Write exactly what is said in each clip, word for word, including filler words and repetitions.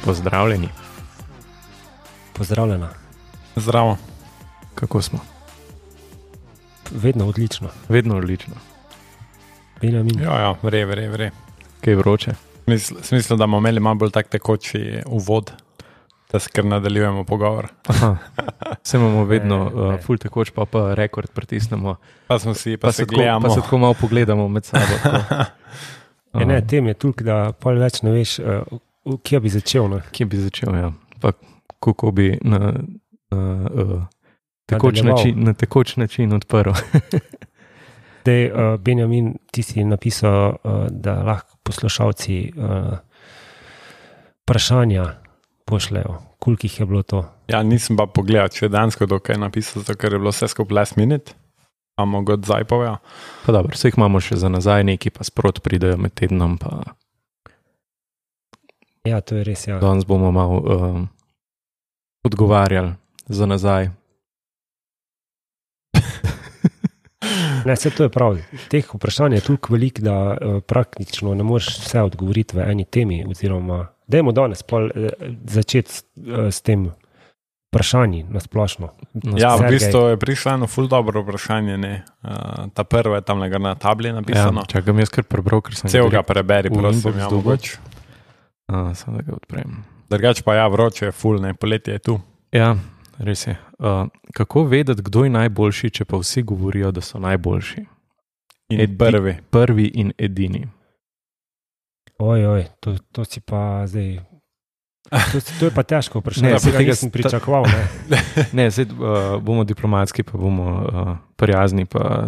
Pozdravljeni. Pozdravljena. Zdravo. Kako smo? Vedno odlično. Vedno odlično. Benjamin. Ja, ja, vre, vre, vre. Kaj je vroče? Smisel, da bomo imeli malo bolj tak tekoči uvod, da se kar nadaljujemo pogovor. Aha. Se imamo vedno uh, ful tekoč, pa pa rekord pritisnemo. Pa smo si, pa, Pa se se, tako, gledamo. pa se tako malo pogledamo med sabo. tako. E, ne, tem je toliko, da pol več ne veš, uh, kje bi začel. Ne? Kje bi začel, ja. Pa kako bi na, na, uh, tekoč, Nadaljeval. način, na tekoč način odprl. Dej, uh, Benjamin, ti si napisal, uh, da lahko poslušalci uh, vprašanja pošljajo. Koliko jih je bilo to? Ja, nisem pa pogledal, če je dansko dokaj napisal, zato ker je bilo vse skupaj last minute. A mogo odzaj povedal. Pa dobro, vse jih imamo še za nazaj, neki pa sprot pridejo med tednom, pa Ja, to je res, ja. danes bomo malo um, odgovarjali za nazaj. Ne, vse to je prav. Teh vprašanj je toliko veliko, da uh, praktično ne moreš vse odgovoriti v eni temi, oziroma dajmo danes pol uh, začeti s, uh, s tem vprašanji na splošno. Ja, v Sergej. bistvu je prišlo eno ful dobro vprašanje, ne. Uh, ta prva je tam na tabli napisano. Ja, čakam jaz kar prebral, ker sem Cel ga ga preberi, v prosim, inbox ja, dobil. mogoče. A, samo da ga odprem. Drugač pa ja, vroče je ful, ne, poletje je tu. Ja, res je. Uh, kako vedeti, kdo je najboljši, če pa vsi govorijo, da so najboljši? In Edi- prvi. Prvi in edini. Oj, oj, to, to si pa zdaj... To, to je pa težko vprašanje, Ne, ne, saj tega tega nisem sta- pričakoval. Ne. Ne, zdaj uh, bomo diplomatski, pa bomo uh, prijazni, pa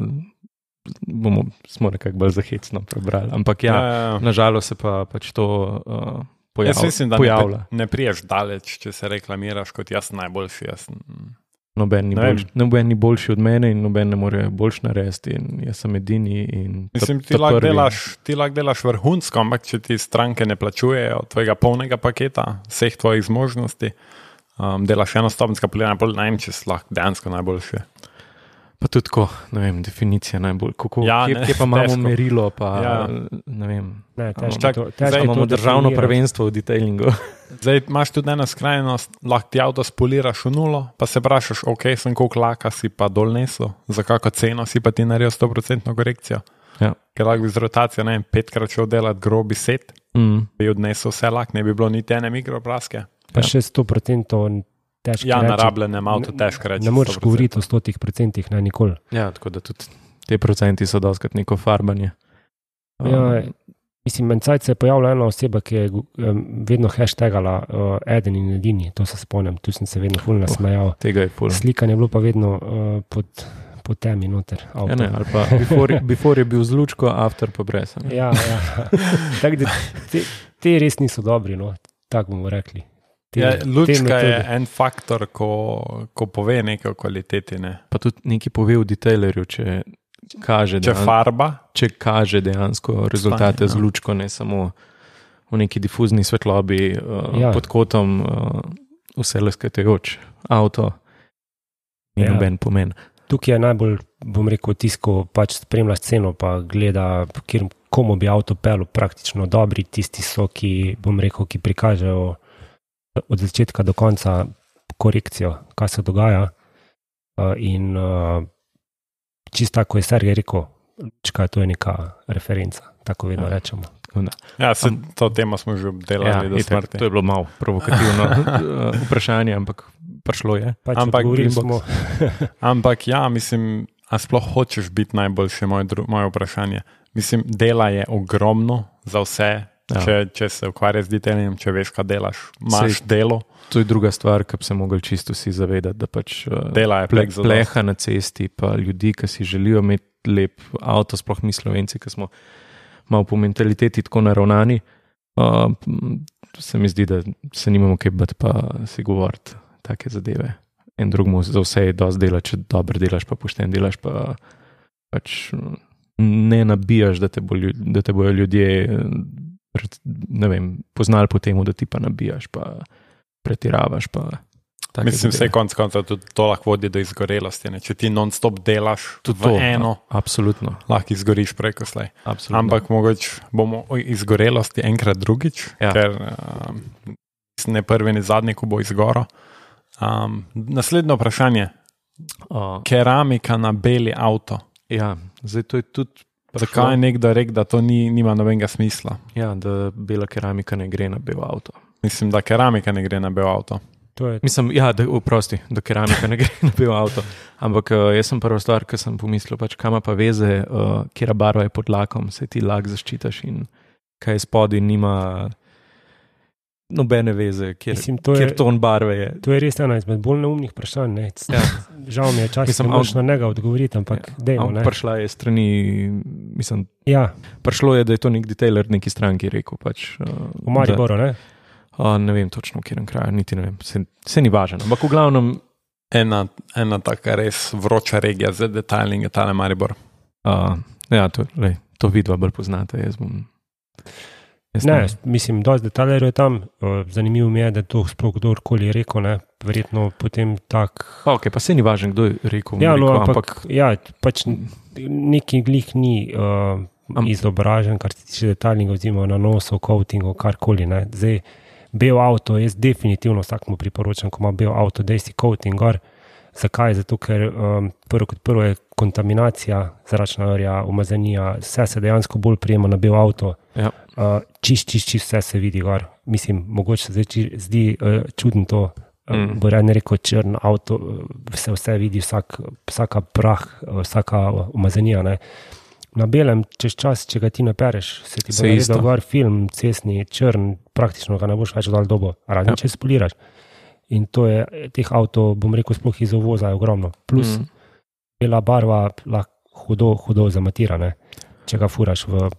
bomo, smo nekako bolj zahecno prebrali. Ampak ja, ja, ja. nažalost se pa pač to uh, pojav, Jaz mislim, da pojavlja. ne, ne priješ daleč, če se reklamiraš kot jaz sem najboljši. Jaz sem... Noben ni, Ne vem. boljši, noben ni boljši od mene in noben ne more boljš narediti in jaz sem edini. In ta- Mislim, ti ta lahko prvi. delaš, ti lahko delaš vrhunsko, ampak če ti stranke ne plačujejo tvojega polnega paketa, vseh tvojih zmožnosti, um, delaš enostopenjska poliranja, pol ne vem, če si lahko dejansko najboljši. Pa tudi tako, ne vem, definicija najbolj. Kako, Ja, kje, ne, kje pa imamo težko. merilo, pa Ja. ne vem. Ne, težko, Čak, to, zdaj težko Zdaj to imamo državno definirati. prvenstvo v detailingu. Zdaj imaš tudi eno skrajnost, lahko ti avto spoliraš v nulo, pa se vprašaš, ok, sem koliko laka si pa dol nesel, za kako ceno si pa ti naredil sto procentno korekcijo. Ja. Ker lahko bi z rotacijo, ne vem, petkrat šel delati grobi set, Mm. bi odnesel vse lak, ne bi bilo niti ene mikropraske. Pa Ja. še sto procentov težko Ja, reči. na rabljenem avtu Ne- težko reči. Ne moreš sto procentov. govoriti o stotih procentih, ne nikoli. Ja, tako da tudi te procenti so doskrat neko farbanje. Ja, mislim, mencajt se je pojavila ena oseba, ki je um, vedno hashtagala uh, eden in edini, to se spomnim, tu sem se vedno ful nasmejal. Tega je pol. Slikanje je bilo pa vedno uh, pod, pod temi noter. Ja, ne, ali pa before, before je bil z lučko, after pa brez. a ne. Ja, ja. Tako da te, te res niso dobri, no, tako bomo rekli. Te, Ja, te lučka je metode. en faktor, ko, ko pove nekaj o kvaliteti. Ne. Pa tudi nekaj pove v detailerju, če kaže, Če dejan- farba, če kaže dejansko rezultate Stanje, z ja. lučko, ne samo v neki difuzni svetlobi, uh, Ja. pod kotom, uh, vse leskatajoč avto in Ja. noben pomen. Tukaj je najbolj, bom rekel, tisko pač spremlja sceno, pa gleda, kjer, komu bi avto pel, praktično dobri, tisti so, ki, bom rekel, ki prikažejo od začetka do konca korekcijo, kaj se dogaja. Uh, in uh, čisto tako je Sergej rekel, lučka, to je neka referenca, tako vedno Ja. rečemo. Tako da, ja, se, Am- to temo smo že obdelali Ja, do itak, smrti. to je bilo malo provokativno uh, vprašanje, ampak prišlo je. Pač Ampak odgovorili inbox. smo, Ampak ja, mislim, a sploh hočeš biti najboljši, moje, dru- moje vprašanje. Mislim, dela je ogromno za vse, Ja. če, če se ukvarjaš z detailom, če veš, kaj delaš. Imaš Sej- delo, To je druga stvar, ki bi se mogli čisto vsi zavedati, da pač uh, dela je ple, plek za pleha na cesti, pa ljudi, ki si želijo imeti lep avto, sploh mi Slovenci, ki smo malo po mentaliteti tako naravnani, uh, se mi zdi, da se nimamo kaj bati pa si govoriti take zadeve. En drugmu za vse je dosti dela, če dobro delaš, pa pošten delaš, pa pač ne nabijaš, da te, bo, ljud- da te bojo ljudje pred- ne vem, poznali po temu, da ti pa nabijaš, pa pretiravaš, pa take Mislim, zadeve. vse konc konca tudi to lahko vodi do izgorelosti. Ne? Če ti non-stop delaš Tudi v to, eno, absolutno, lahko izgoriš preko slej. absolutno. Ampak mogoče bomo o izgorelosti enkrat drugič, Ja. ker um, ne prvi, ne zadnji, ko bo izgoro. Um, naslednje vprašanje. Uh, Keramika na beli avto. ja, zdaj to je tudi. Zakaj je nekdo rekel, da to ni, nima nobenega smisla? Ja, da bela keramika ne gre na bel avto. Mislim, da keramika ne gre na bel avto. To je, Mislim, ja, da, oprosti, da keramika ne gre na bel avto. Ampak uh, jaz sem prva stvar, ki sem pomislil, pač kam pa veze, uh, kera barva je pod lakom, se ti lak zaščitaš in kaj spodaj nima nobene veze, kjer, Mislim, to je- kjer ton barve je. to je res ena izmed bolj neumnih vprašanj. Ne. Ja. Žal mi je čas, Mislim, da moš na njega odgovoriti, ampak ja. dejmo. Ampak Ne. prišla je strani, mislim, Ja, prišlo je, da je to nek detailer neki stranki rekel. Pač, uh, v Mariboru, ne? Uh, ne vem točno, v katerem kraju, niti ne vem, se, se ni važno. Ampak v glavnem, Ena, ena taka res vroča regija za detailing je tale Maribor. uh, ja, to, lej, to vidva bolj poznate. Jaz bom, jaz Ne, mislim, dosti detajlerjev je tam. Uh, Zanimivo mi je, da to sploh kdorkoli rekel, ne? Verjetno potem tak. Ok, pa se ni važno, kdo je rekel. Ja, no, rekel ampak, ampak ja, pač neki glih ni uh, Am- izobražen, kar se tiče detailinga, oziroma nanosov, coatingov, karkoli. Ne. Zdaj, bel avto, jaz definitivno vsakmu priporočam, ko ima bel avto, da si coating gor. Zakaj? Zato, ker um, prvo kot prvo je kontaminacija, zračna orja, umazanija, vse se dejansko bolj prijema na bel avto. Ja. Uh, čist, čist, čist vse se vidi gor. Mislim, mogoče se zdaj či- zdi uh, čudno to. Mm. Mm. Bo rad ne rekel črn avto, se vse vidi, vsak, vsaka prah, vsaka umazanija. Ne. Na belem, čez čas, če ga ti napereš, se ti bo Se isto. naredil gor film, cestni, črn, praktično ga ne boš več dal dobo, razen Ja. če spoliraš. In to je, teh avtov, bom rekel, sploh iz uvoza je ogromno. Plus Mm. bela barva lahko hudo, hudo zamatira, ne. Če ga furaš v,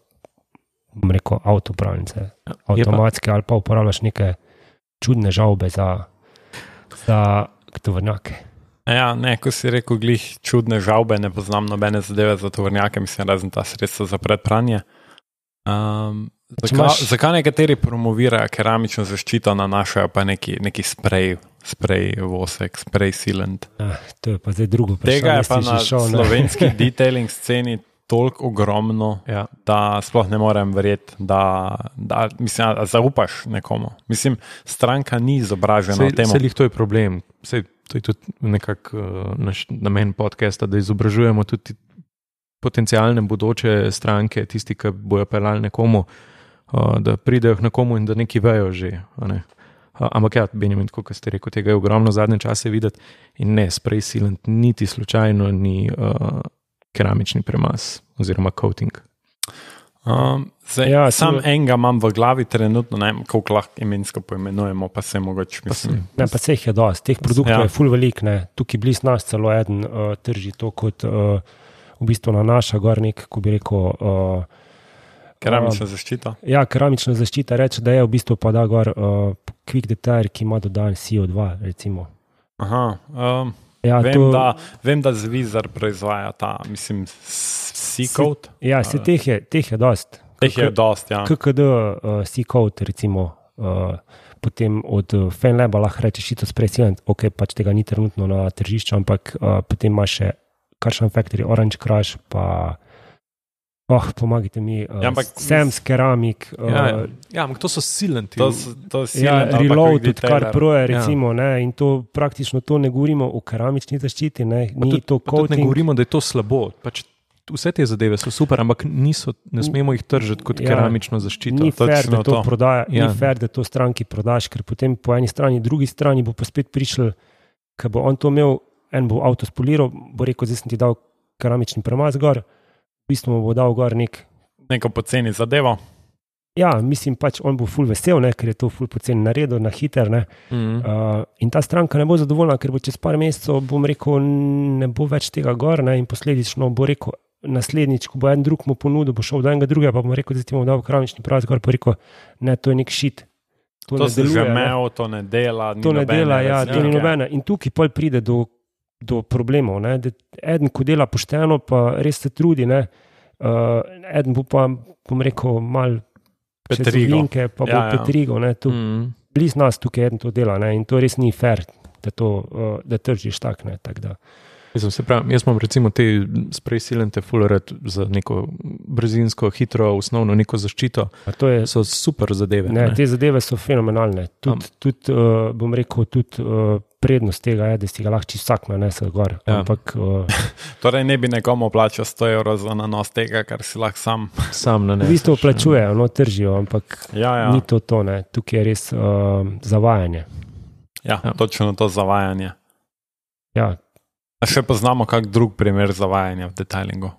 bom rekel, avtopravnice, Je pa, avtomatske, ali pa uporabljaš neke čudne žavbe za, za tovornjake. Ja, ne, ko si rekel, glih čudne žavbe, ne poznam nobene zadeve za tovornjake, mislim, razen ta sredstva za predpranje. Um, Če zakaj, imaš- zakaj nekateri promovirajo keramično zaščito, nanašajo pa neki, neki sprej, sprej vosek, sprej sealant. Ah, to je pa zdaj drugo vprašanje. Tega je pa si že na šel, ne. slovenski detailing sceni toliko ogromno, ja. da sploh ne morem verjeti, da, da mislim, a zaupaš nekomu. Mislim, stranka ni izobražena o tem. Se jih to je problem. Sej, to je tudi nekako uh, naš namen podcasta, da izobražujemo tudi potencijalne bodoče stranke, tisti, ki bojo pelali nekomu, uh, da pridejo k nekomu in da neki vejo že. a Ne? Uh, ampak ja, Benjamin, kot ste rekel, tega je ogromno zadnje čase videti in ne, spray sealant niti slučajno ni uh, keramični premaz oziroma coating. Um, zdaj, Ja, ja, to- sam enega imam v glavi trenutno, ne vem, koliko lahko imensko poimenujemo, pa se mogoče Pa se- mislim. Ne, pa se jih je dosti, teh produktov Ja. ja. je ful velik, ne. Tukaj bliz nas celo eden uh, trži to kot uh, v bistvu na naša gor nek, ko bi rekel, uh, Keramična zaščita. ja, keramična zaščita, reče, da je v bistvu pa da gor uh, quick detail, ki ima dodan C O dva, recimo. Aha, um, Ja, vem, to, da, vem, da Zvizar proizvaja ta, mislim, C-code. ja, se teh je, teh je dost. Teh je dost, ja. K K D uh, C-code, recimo, uh, potem od uh, Fanlaba lahko rečeš šito spray sealant, ok, pač tega ni trenutno na tržišču, ampak uh, potem imaš še Carbon Factory, Orange Crush, pa oh, pomagajte mi, uh, Ja, ampak Sam's Keramik, uh, Ja, ja. ja, ampak to so silanti. To, s- to si ja, Sealant ali pa Reload, Quick tudi kar Detailer. proje, Ja. recimo, ne, in to praktično to ne govorimo o keramični zaščiti, ne, Pa ni tudi, to pa tudi ne coating. govorimo, da je to slabo. Pač vse te zadeve so super, ampak niso, ne smemo jih tržiti kot Ja. keramično zaščito. Ni fair, točno da to, to. prodaja, Ja. ni fair, da to stranki prodaš, ker potem po eni strani, drugi strani bo pa spet prišel, ker bo on to imel, en bo avto spoliral, bo rekel, zdaj sem ti dal keramični premaz gor, v bistvu mu bo dal gor nek, Neko poceni zadevo. ja, mislim pač, on bo ful vesel, ne, ker je to ful poceni naredil, na hiter, ne, Mm. uh, in ta stranka ne bo zadovoljna, ker bo čez par mesecev, bom rekel, ne bo več tega gor, ne, in posledično bo rekel, naslednjič, ko bo en drug mu ponudil, bo šel do enega drugega, pa bom rekel, zdaj ti bom dal keramični premaz gor, pa rekel, ne, to je nek šit. To, To ne se že deluje, ne. imel, to ne dela. Ni To ne nobene dela, ja, to ni razlike. nobene. In tukaj pol pride do, do problemov. Ne, da eden, ko dela pošteno, pa res se trudi, ne, uh, eden bo pa, bom rekel, mal Petrigo. čez pa bo Ja, ja. petrigo. Ne, tu, Mm. bliz nas tukaj eden to dela, ne, in to res ni fair, da, to, uh, da tržiš tak. Ne, tak da. Mislim, se pravi, jaz imam recimo te sprej silente fullerad za neko brzinsko, hitro, osnovno neko zaščito. A to je, so super zadeve. ne, Ne? te zadeve so fenomenalne. Tudi, tudi uh, bom rekel, tudi uh, prednost tega je, da si ga lahko čisto vsak nanese gor. Ja. Ampak, uh, Torej ne bi nekomu plačal sto evrov za nanos tega, kar si lahko sam. Sam na v bistvu plačujejo, no, tržijo, ampak Ja, ja. ni to to, ne. Tukaj je res uh, zavajanje. Ja, Ja. točno to zavajanje. Ja, A še poznamo kak drug primer zavajanja v detailingu?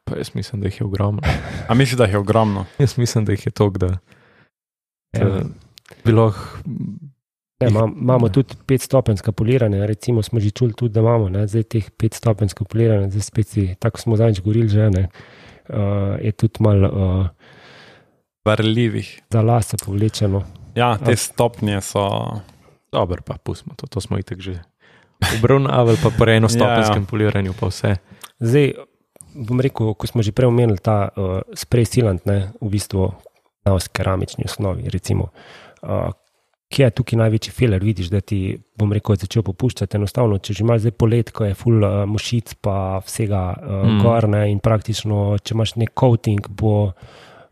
Pa jaz mislim, da jih je ogromno. A misliš, da jih je ogromno? Jaz mislim, da jih je toliko, da, da ja. bi lahko. Ne, imam- imamo tudi petstopenjska poliranja, recimo smo že čuli tudi, da imamo, ne, zdaj teh petstopenjska poliranja, zdaj spet si, tako smo zadnjič govorili že, ne, uh, je tudi malo uh, Varljivih. za lase povlečeno. Ja, te stopnje so. Dobro, pa pustimo to, to smo itak že obravnavali, pa po enostopenskem Ja, ja. poliranju, pa vse. Zdaj, bom rekel, ko smo že prej omenili ta uh, spray sealant, ne, v bistvu na keramični osnovi, recimo, uh, kje je tukaj največji feler, vidiš, da ti, bom rekel, je začel popuščati, enostavno, če že imaš zdaj polet, ko je full uh, mušic pa vsega uh, Mm. mm. gor, ne, in praktično, če imaš nek coating, bo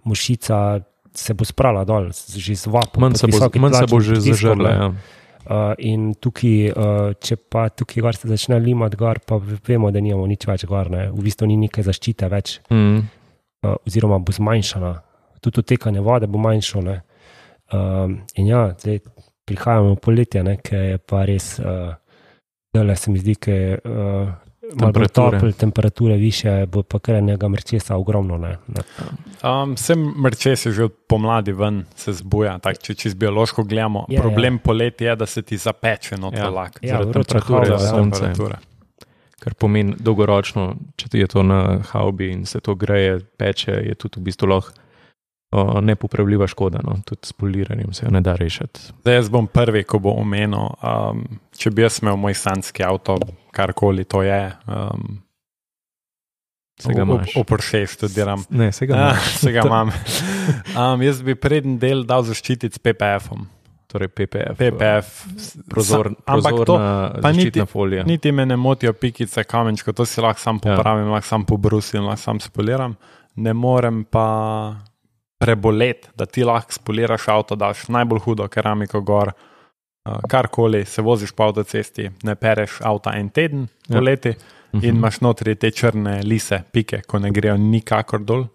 mušica se bo sprala dol, z- že z vapom. Manj pod se bo, visokim manj se bo tlačnim že pritiskom, zažrla. ne. Ja. Uh, in tukaj, uh, če pa tukaj gor se začne limati gor, pa vemo, da nimamo nič več gor, ne. V bistvu ni neke zaščite več, Mm. uh, oziroma bo zmanjšana. Tudi odtekanje vode bo manjšo. Ne. Um, in ja, zdaj prihajamo v poletje, ne, ki je pa res, uh, zdajle se mi zdi, ki je uh, malo bolj Temperature. topel, temperature više, bo pa kar enega mrčesa ogromno. Ne. Ne. Um, Vsem mrčes je že od pomladi ven, se zbuja. Tak, če čez biološko gledamo, Je, problem poletja je, da se ti zapeče not Ja. lak. Ja, Zaradi vroča temperature, hava, ja. sonce. Temperature. Kar pomeni dolgoročno, če ti je to na haubi in se to greje, peče, je tudi v bistvu lahko o, nepopravljiva škoda. No? Tudi s poliranjem se jo ne da rešiti. Zdaj jaz bom prvi, ko bo omenil, um, če bi jaz imel moj sanski avto, karkoli to je, um, Se ga imaš. v Porsche študiram. Ne, se ga Ja, imaš. se ga imam. Um, jaz bi preden del dal zaščititi s P P F-om. Torej P P F. P P F. Prozor, Ampak to, prozorna pa niti- zaščitna folija. niti me ne motijo pikice, kamenčko, to si lahko sam Ja. popravim, lahko sam pobrusim, lahko sam spoliram. Ne morem pa preboleti, da ti lahko spoliraš avto, daš najbolj hudo keramiko gor, uh, karkoli, se voziš po avtocesti, ne pereš avta en teden Ja. poleti Mhm. in imaš notri te črne lise, pike, ko ne grejo nikakor dol.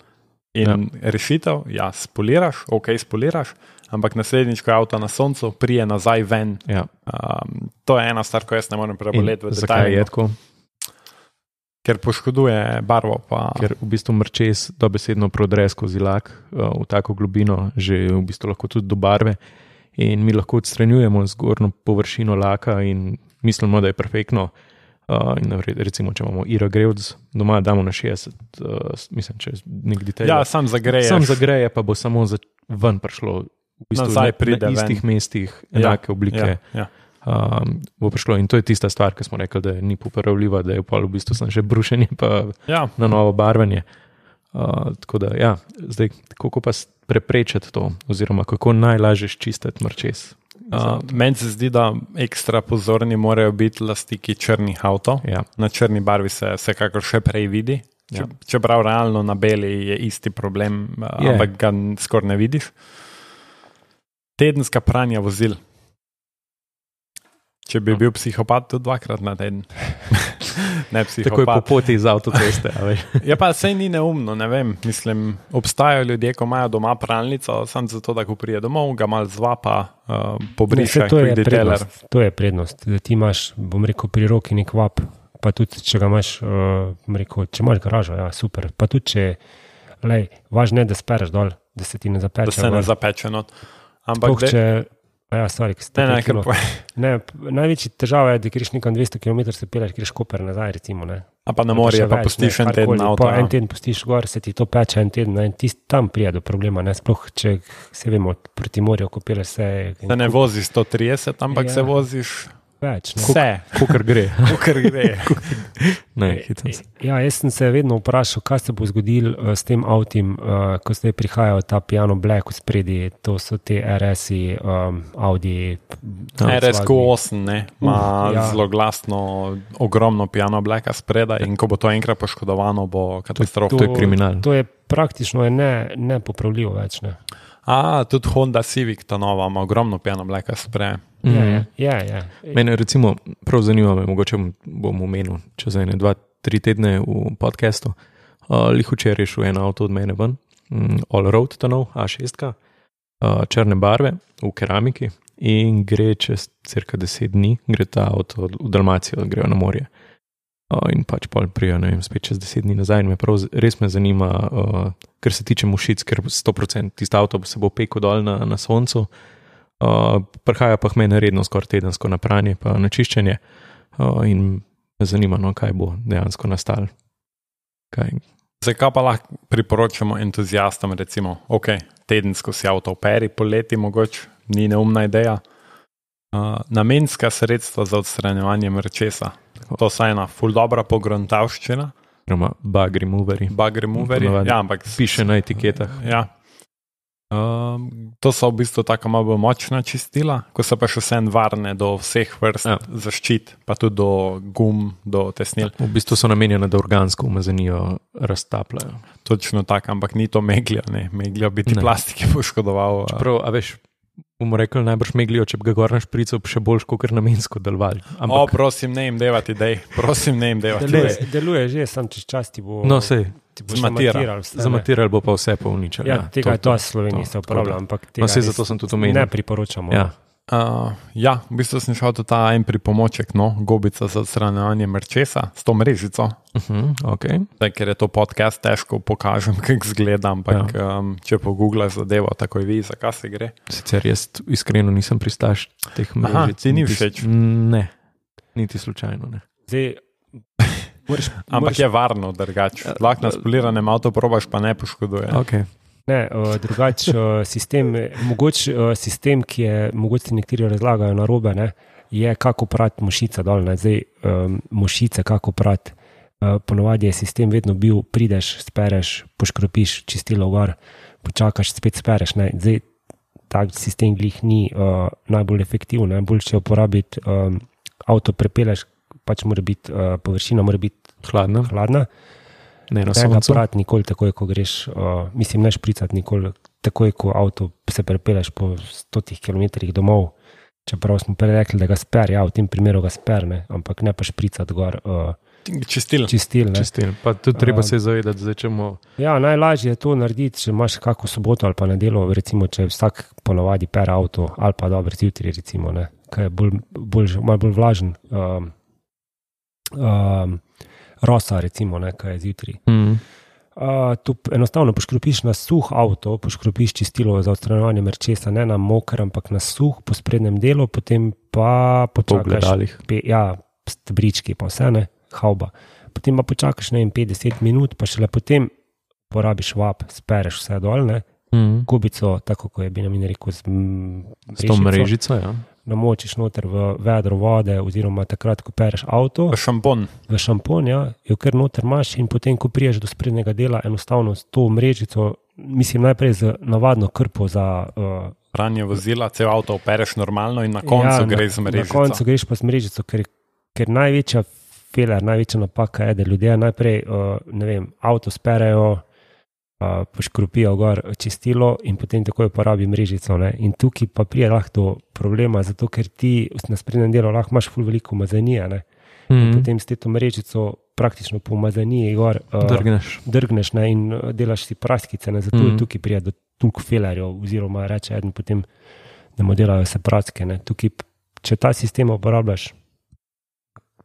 In ja. rešitev, ja, spoliraš, ok, spoliraš, ampak naslednjič, ko je avto na soncu, prije nazaj ven. Ja. Um, to je ena stvar, ko jaz ne morem preboleti v Zakaj je detajlu, tako? ker poškoduje barvo. Pa, Ker v bistvu mrčes dobesedno prodre skozi lak uh, v tako globino, že v bistvu lahko tudi do barve. In mi lahko odstranjujemo zgornjo površino laka in mislimo, da je perfektno. Uh, in recimo, če imamo Iragrevc doma, damo na šestdeset, uh, mislim, če je nek detajl. ja, sam zagreješ. Sam zagreje, pa bo samo za, ven prišlo. V bistvu Nazaj na, pride na istih ven. mestih, enake ja, oblike. Ja, ja. Um, bo prišlo. In to je tista stvar, ki smo rekli, da ni popravljiva, da je v pol v bistvu samo še brušenje, pa Ja. na novo barvanje. Uh, tako da, ja, zdaj, kako pa s- preprečiti to, oziroma kako najlažje čistiti mrčes? Uh, meni se zdi, da ekstra pozorni morajo biti lastniki črnih avtov. Ja, Na črni barvi se vsekakor še prej vidi. Če, Ja. čeprav realno na beli je isti problem, uh, Je. ampak ga skoraj ne vidiš. Tedenska pranja vozil. Če bi No. bil psihopat, tudi dvakrat na teden. Ne tako je po psihopat. poti iz avtoceste. a veš. Ja, pa sej ni neumno, ne vem. Mislim, obstajajo ljudje, ko imajo doma pralnico, samo zato, da ko prije domov, ga mal zvapa, uh, Ne, pobriše, saj to, je quick detailer. prednost, to je prednost, da ti imaš, bom rekel, pri roki nek vap, pa tudi če ga imaš, uh, bom rekel, če imaš garažo, ja, super. Pa tudi če, lej, važno je, da spereš dol, da se ti ne Da zapeče. se ne gor. zapeče not. Ampak Sploh de, če, a ja, sorry, ki ste ne, ne, prekinil. kar pa, Ne, p- največji težava je, da greš nekam dvesto kilometrov, se peleš, greš Koper nazaj, recimo. Ne. a pa na Ali morje, še pa več, pustiš ne, en teden karkoli. avto. Pa ja. en teden pustiš gor, se ti to peče en teden, ne, in ti tam prije do problema, ne, sploh če se vemo, proti morju, ko peleš se. Se ne voziš sto trideset, ampak Ja. se voziš Več, ne. vse, Kakor gre. kar gre. Ne, hitam se. Ja, jaz sem se vedno vprašal, kaj se bo zgodilo uh, s tem avtom, uh, ko zdaj prihajajo ta piano black v spredi, to so te R S-i, um, Audi. R S Q osem, ne, ima Uh, ja. zelo glasno, ogromno piano blacka spredaj in ko bo to enkrat poškodovano, bo katastrofa. To je kriminal. To je praktično je ne, nepopravljivo več. Ne. A, tudi Honda Civic, ta nova, ima ogromno piano blacka spredaj. Ja, Mhm. ja, ja, ja. Mene recimo prav zanima, me, mogoče bom omenil čez ene dva, tri tedne v podcastu. Uh, Lih včeraj je šel en avto od mene ven, um, All Road, ta nov, A šest, uh, črne barve, v keramiki in gre čez cirka deset dni, gre ta avto v Dalmacijo, grejo na morje. Uh, in pač pol prijo, ne vem, spet čez deset dni nazaj. In me prav, res me zanima, uh, kar se tiče mušic, ker sto procent tisti avto se bo pekel dol na, na soncu. Uh, prihaja pa meni redno skoraj tedensko na pranje pa na čiščenje uh, in me zanima, no, kaj bo dejansko nastalo. Kaj? Zdaj, kaj pa lahko priporočamo entuzijastom, recimo, ok, tedensko si avto operi, poleti mogoče, ni neumna ideja. Uh, namenska sredstva za odstranjevanje mrčesa. To je ena ful dobra pogruntavščina. Bug removeri. Bug removeri, ja, ampak piše na etiketah. Ja. Um, to so v bistvu tako malo bolj močna čistila, ko so pa še vse varne do vseh vrst ja. zaščit, pa tudi do gum, do tesnil. V bistvu so namenjene, da organsko umazanijo raztapljajo. Točno tako, ampak ni to meglja, ne. Meglja bi ti plastike poškodoval. Čeprav, a veš, bomo rekli, najbrž meglijo, če bi ga gor na šprico še bolj kot namensko delovali. Ampak... O, prosim, ne jim devati idej, prosim, ne jim devati idej. Deluje, deluje že, sam čez čas ti bo... No, sej. Zmatiral. Zmatiral bo pa vse povničal. Ja, tega je to v Sloveniji se uporablja, ampak tega no, zato sem tudi omenil. Ne priporočamo. Ja. Uh, ja, v bistvu sem šel tudi ta en pripomoček, no, gobica za odstranjevanje mrčesa s to mrežico. Uh-huh, okay. Zdaj, ker je to podcast, težko pokažem, kako zgleda, ampak ja. um, če pogooglaš zadevo, takoj vidiš, za kaj se gre. Sicer jaz iskreno nisem pristaš teh mrežic. Aha, ti ni všeč? Ne, niti slučajno ne. Zdaj, Moraš, ampak moraš... je varno, drugače. Lahko na spoliranem avto probaš, pa ne poškoduje. Okay. Ne, uh, drugače uh, sistem, mogoče uh, sistem, ki je, mogoče ti nekateri razlagajo na robe, ne, je kako prati mušica dol. Ne. Zdaj, um, mušice, kako prati. Uh, ponovadi je sistem vedno bil, prideš, spereš, poškropiš čistilo gor, počakaš, spet spereš. Ne. Zdaj, tak sistem glih ni uh, najbolj efektiven, najbolj če uporabiti um, avto prepeleš, pač mora biti, uh, površina mora biti hladna. hladna. Ne na soncu. Ne ga prati nikoli takoj, ko greš, uh, mislim, ne špricati nikoli takoj, ko avto se prepeleš po stotih kilometrih domov. Čeprav smo prej rekli, da ga sper, ja, v tem primeru ga sper, ne, ampak ne pa špricati gor. Uh, čistil. Čistil, ne. Čistil. Pa tudi treba uh, se zavedati, zdaj čemo... Ja, najlažje je to narediti, če imaš kako soboto ali pa nedelo, recimo, če vsak ponovadi per avto, ali pa dobro zjutraj, recimo, ne, kaj je bolj, bolj, malo bolj vlažen. Um, Um, rosa, recimo, ne, kaj je zjutraj. Mm. Uh, tu enostavno poškropiš na suh avto, poškropiš čistilo za odstranjevanje mrčesa, ne na moker, ampak na suh po sprednjem delu, potem pa počakaš. Pe, ja, stebrički, pa vse, ne, hauba. Potem pa počakaš, ne vem, petdeset minut, pa šele potem porabiš vap, spereš vse dol, ne. Mm. Kubico, tako kot je Benjamin rekel, z, m, z to mrežico, ja. Namočiš noter v vedro vode, oziroma takrat, ko pereš avto. V šampon. V šampon, ja, jo ker noter imaš in potem, ko priješ do sprednjega dela, enostavno s to mrežico, mislim najprej z navadno krpo za... Uh, pranje vozila, cel avto opereš normalno in na koncu ja, greš z mrežico. Na koncu greš pa z mrežico, ker, ker največja feler, največja napaka je, da ljudje najprej, uh, ne vem, avto sperejo, Uh, poškropijo gor čistilo in potem takoj uporabi mrežico. Ne? In tukaj pa prije lahko do problema, zato ker ti na sprednjem delu lahko imaš ful veliko umazanije. Ne? Mm -hmm. Potem s to mrežico praktično po umazaniji gor uh, drgneš, drgneš ne? In delaš si praskice, ne? Zato mm -hmm. je tukaj prije do toliko felerjev, oziroma reče eden potem, da mu delajo se praske. Ne? Tukaj, če ta sistem uporabljaš,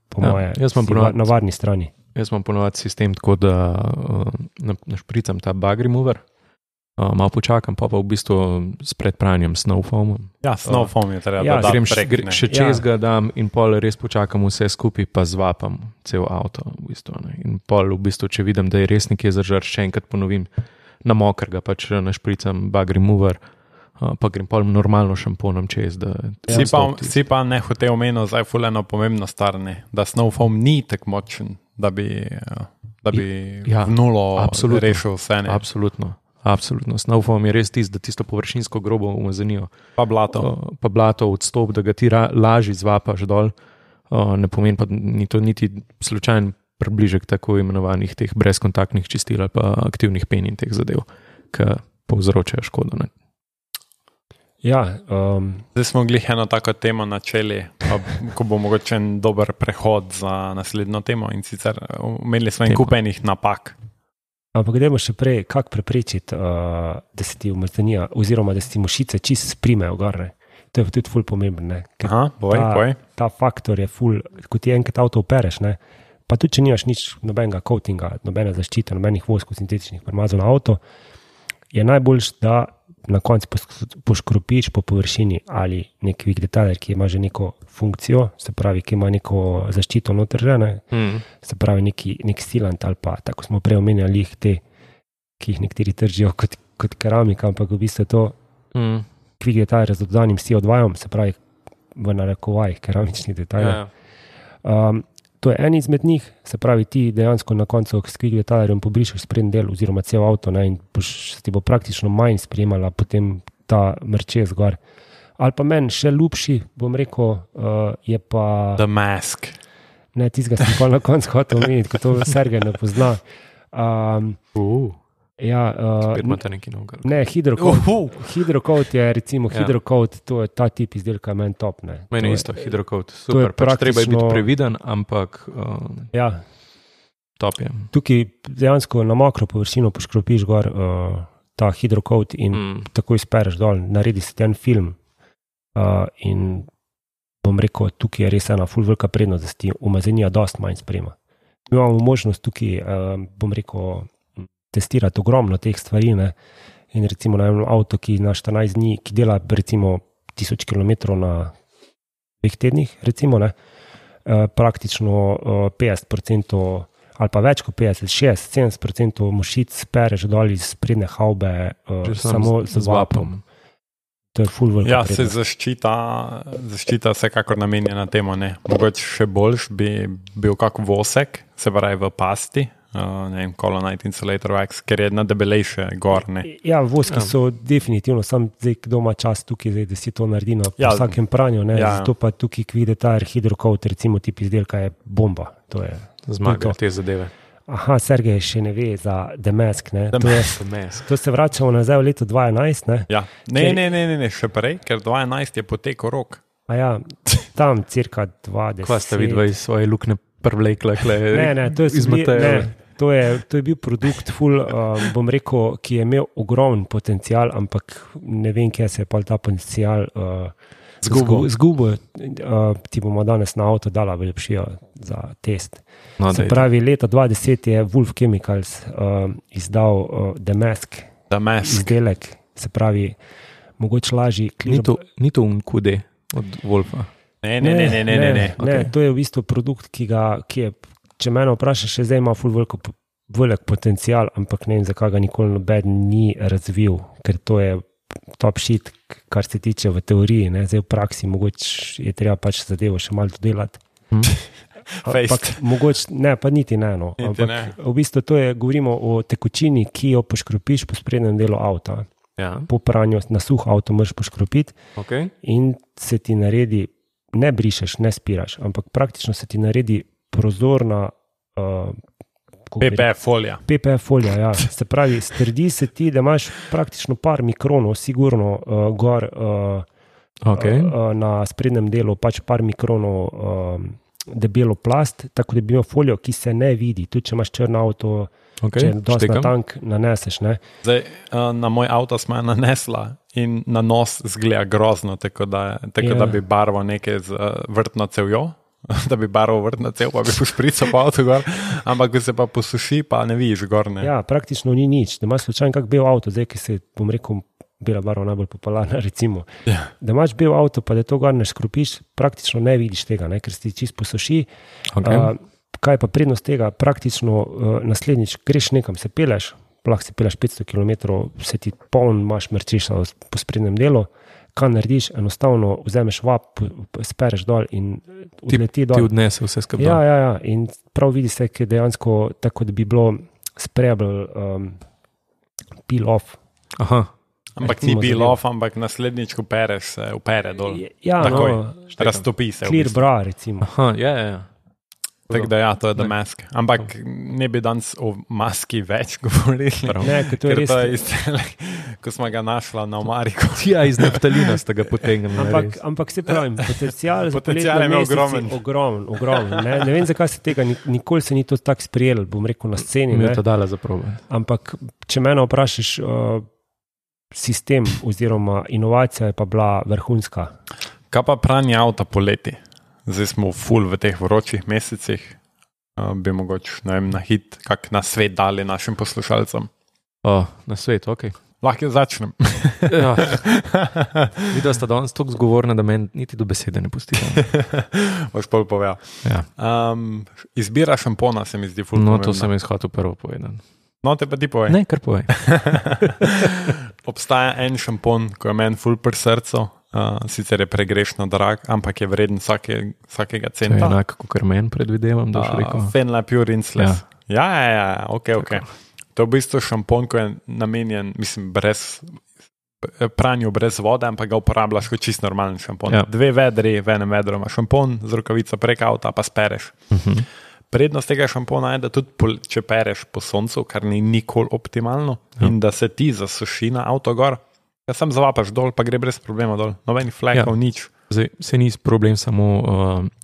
po ja, moje, si na varni strani. Jaz imam ponovati sistem tako, da uh, našpricam ta bug remover, uh, malo počakam, pa pa v bistvu s predpranjem snow foamom. Ja, snow foam je treba ja, dodati grem prek. Gre, še čez ja. ga dam in pol res počakam vse skupaj, pa zvapam cel avto. V bistvu, ne. In pol v bistvu, če vidim, da je res nekje zažar, še enkrat ponovim, na moker ga pač našpricam bug remover, uh, pa grem pol normalno šamponom čez. Da si, pa, si pa ne hotel omeniti zdaj fuleno pomembno stvar, ne, da snow foam ni tak močen. da bi, da bi Ja, v nulo absolutno. rešil vse. Ne? Absolutno. Absolutno. Snowfoam je res tisto, da tisto površinsko grobo umazanijo. Pa blato. Uh, pa blato odstop, da ga ti ra, lažje zvapaš dol. Uh, ne pomeni pa ni to niti slučajen približek tako imenovanih teh brezkontaktnih čistil ali pa aktivnih pen in teh zadev, ki povzročajo škodo. Ne? Ja, um, Zdaj smo glih eno tako temo načeli, pa, ko bo mogoče en dober prehod za naslednjo temo in sicer imeli smo en Tema. kup enih napak. ampak gremo še prej, kako preprečiti, uh, da se ti umazanija oziroma da se ti mušice čist sprimejo gor. Ne? To je tudi ful pomembno. Ne? Ker Aha, boj, ta, boj. ta faktor je ful, ko ti enkrat avto opereš, ne? Pa tudi če nimaš nič nobenega coatinga, nobene zaščite, nobenih voskov sintetičnih premazov na avto, je najboljš, da na koncu poškropiš po površini ali nek quick detailer, ki ima že neko funkcijo, se pravi, ki ima neko zaščito noter že, ne? Mm. Se pravi neki, nek silant ali pa, tako smo prej omenjali jih te, ki jih nekateri tržijo kot, kot keramika, ampak v bistvu je to Mm. quick detailer z dodanim C O dva, se pravi v narekovajih keramični detailer. Ja. Um, to je en izmed njih, se pravi ti dejansko na koncu s quick detailerjem pobrišeš sprednji del oziroma cel avto, ne, in boš, ti bo praktično manj sprejemala potem ta mrčes gor. Ali pa meni še ljubši, bom rekel, uh, je pa The Mask. ne, tistega sem pa na koncu hotel omeniti, ko to Sergej ne pozna. Um, Uh. ja, uh, Spet imate neki novgar. ne, hidrocoat. Uhu. Hidrocoat je recimo Ja. hidrocoat, to je ta tip izdelka meni top. Ne. Meni To je je- isto, hidrocoat. je Super, pač treba je biti praktično- previden, ampak uh, Ja, top je. tukaj dejansko na mokro površino poškropiš gor uh, ta hidrocoat in mm. Mm. takoj spereš dol, naredi se ti en film. Uh, in bom rekel, tukaj je res ena ful velika prednost, da se ti umazanija dosti manj sprema. Mi imamo možnost tukaj, uh, bom rekel, testirati ogromno teh stvari. Ne? In recimo na enem avto, ki na štirinajst dni, ki dela recimo tisoč kilometrov na dveh tednih, recimo, ne? Uh, praktično uh, petdeset procentov ali pa več kot petdeset, šestdeset, sedemdeset procentov mušic spereš dol iz sprednje havbe uh, Že sam samo z- z vapom. To je ful velika Ja, se prednost. zaščita, zaščita vsekakor namenjena temu. Ne. Mogoče še boljš bi bil kak vosek, se pravi v pasti, uh, ne vem, Colonite Insulator Wax, ker je na debelejše gor. Ne. Ja, voski Ja. so definitivno, sam zdaj, kdo ima čas tukaj, zdaj, da si to naredi na Ja. ja, vsakem pranju, ne, Ja. zato pa tukaj quick detailer, hidrocoat, recimo tip izdelka je bomba. To je. Zmaga To. te zadeve. Aha, Sergej še ne ve za The Mask, ne. The To, je, Mask. to se vračamo nazaj v leto dva tisoč enajst, ne. Ja. Ne, Ker- ne, ne, ne, ne, še prej, ker dva tisoč enajst je potekel rok. A ja, tam cirka dvajset. Kva ste vidva iz svoje lukne prvlekle? Ne, ne, to je, iz bili, Mateja. ne, to je, to je bil produkt, ful, um, bom rekel, ki je imel ogromen potencial, ampak ne vem, kje se je pa ta potencial uh, Zgubil. Zgubil, uh, ti bomo danes na avto dala veljepšijo za test. No, Se daj. pravi, leta dva tisoč deset je Wolf Chemicals uh, izdal uh, The Mask The Mask. izdelek, se pravi, mogoče lažji Ni to, ni to un Q D od Wolfa. Ne, ne, ne, ne, ne, ne, ne. ne, okej. to je v bistvu produkt, ki ga, ki je, če mene vprašaš, še zdaj ima ful veliko, velik potencial, ampak ne vem, zakaj ga nikoli noben ni razvil, ker to je top shit, kar se tiče v teoriji, ne, zdaj v praksi mogoče je treba pač zadevo še malo dodelati. Hm? Ampak mogoče, ne, pa niti ne, no. Niti Ampak ne. v bistvu to je, govorimo o tekočini, ki jo poškropiš po sprednjem delu avta. Ja, Po pranju na suh avto moraš poškropiti ok. in se ti naredi, ne brišeš, ne spiraš, ampak praktično se ti naredi prozorna uh, kako bi P P F folija. P P F folija. Ja. Se pravi, strdi se ti, da imaš praktično par mikronov, sigurno uh, gor uh, okay. uh, uh, na sprednjem delu, pač par mikronov uh, debelo plast, tako da bi imel folijo, ki se ne vidi. Tudi če imaš črn avto, Okay, če dosti na štekam. tank naneseš. Ne. Zdaj, uh, na moj avto smo jo nanesla in na nos zgleda grozno, tako da, tako Ja. da bi barvo nekaj z uh, vrtno cevjo, da bi barvo vrtno cev, pa bi pošprical po avtu gor, ampak ko se pa posuši, pa ne vidiš gor. Ne. Ja, praktično ni nič. Da imaš slučajno kak bel avto, zdaj, ki se, bom rekel, bela barva najbolj popularna, recimo. Ja. Da imaš bel avto, pa da to gor ne škropiš, praktično ne vidiš tega, ne, ker se ti čist posuši. Okay. Uh, kaj je pa prednost tega? Praktično uh, naslednjič greš nekam, se peleš, lahko se peleš petsto kilometrov, se ti poln, imaš mrčeša po sprednjem delu. kaj narediš, enostavno vzameš vap, spereš dol in odleti dol. Ti odnese vse skupaj. Ja, ja, ja, in prav vidi se, ki je dejansko tako, da bi bilo sprejable um, peel off. Aha. Ampak ni bil off, ampak naslednjič, ko pereš, se upere dol. Ja, takoj, no. Raztopi se. Clear v bistvu. bra, recimo. Aha, ja, ja, ja. Tako da ja, to je The Mask. Ampak ne bi danes o maski več govorili. Ne, ker to je Ker res. to je isto, ko smo ga našla na Omariku. Ja, iz naftalina ste ga potegnili. Ampak, ampak se pravim, potencial za Potencial poletne je imel mesece ogromen. ogromen, ogromen, ne. ne vem, zakaj se tega, ni- nikoli se ni to tako sprijelo, bom rekel, na sceni, Mi ne. je to dala za probe. Ampak če mene vprašaš, uh, sistem oziroma inovacija je pa bila vrhunska. Kaj pa pranje avta poleti? Zdaj smo full v teh vročih mesecih. Uh, bi mogoče, ne vem, na hit, kak na svet dali našim poslušalcem. O, na svet, ok. Lahko začnem. Ja. Videla sta danes tako zgovorna, da meni niti do besede ne pusti. Boš pol povedal. Ja. Um, izbira šampona se mi zdi full No, pomembna. to sem jaz hotel prvo povedati. No, te pa ti povej. Ne, kar povej. Obstaja en šampon, ko je meni full pri srcu, uh, sicer je pregrešno drag, ampak je vreden vsake, vsakega To je centa. enako, kot meni predvidevam, da boš rekel. Uh, Fenla Pure Rinseless. Ja, ja, ja, ja, ok, ok. To je v bistvu šampon, ko je namenjen, mislim, brez pranju brez vode, ampak ga uporabljaš kot čist normalen šampon. Ja. Dve vedri, v enem vedru imaš šampon, z rokavico prek avta pa spereš. Uh-huh. Prednost tega šampona je, da tudi pol, če pereš po soncu, kar ni nikoli optimalno, Ja. in da se ti zasuši na avto gor, da sam zavapaš dol, pa gre brez problema dol. Nobenih flekov, Ja. nič. Zdaj, se ni problem samo, uh,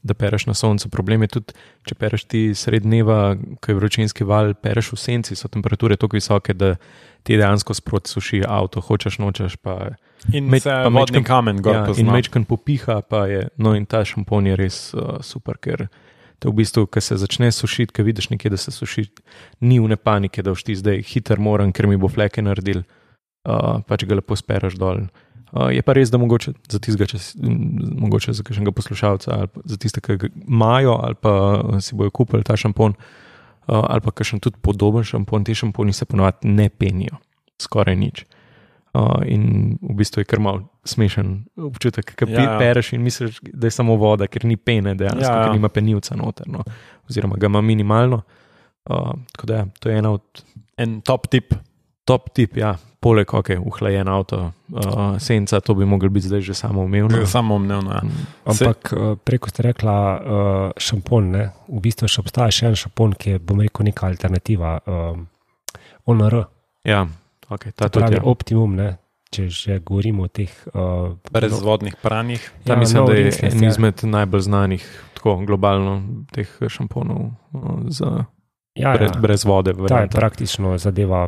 da pereš na soncu. Problem je tudi, če pereš ti sred dneva, ko je vročinski val, pereš v senci, so temperature tako visoke, da ti dejansko sproti suši avto, hočeš, nočeš. Pa, In Med- se pa vodni mečkam- kamen gor ja, in pozna. mečkan popiha, pa je, no in ta šampon je res uh, super, ker te v bistvu, ko se začne sušiti, ko vidiš nekje, da se suši, ni v ne panike, da boš ti zdaj hiter moram, ker mi bo fleke naredil, uh, pač ga lepo spereš dol. Uh, je pa res, da mogoče za tistega, če si, m, mogoče za kakšnega poslušalca, ali pa za tiste, ki ga imajo, ali pa si bojo kupili ta šampon, uh, ali pa kakšen tudi podoben šampon, ti šamponi se ponovadi ne penijo, skoraj nič. Uh, in v bistvu je kar malo smešen občutek, ki Ja, ja. pereš in misliš, da je samo voda, ker ni pene, dejansko, Ja, ja. ker nima penilca noter, no, oziroma ga ima minimalno. Uh, tako da ja, to je ena od En top tip. top tip, ja, poleg ok, uhlajen avto, uh, senca, to bi mogli biti zdaj že samoumevno. No. Samo omnevno. Ja. Ampak uh, preko ste rekla uh, šampon, ne? V bistvu še obstaja še en šampon, ki je, bom rekel, neka alternativa. Um, O N R, Ja, ok, ta to pravi tudi. Ja. Optimum, ne? Če že govorimo o teh... Uh, Brezvodnih pranjih. Ja, ja, mislim, no, da je Rinseless, en ja. izmed najbolj znanih, tako globalno, teh šamponov uh, za ja, brez, ja. brez vode. Ta je varianta. praktično zadeva,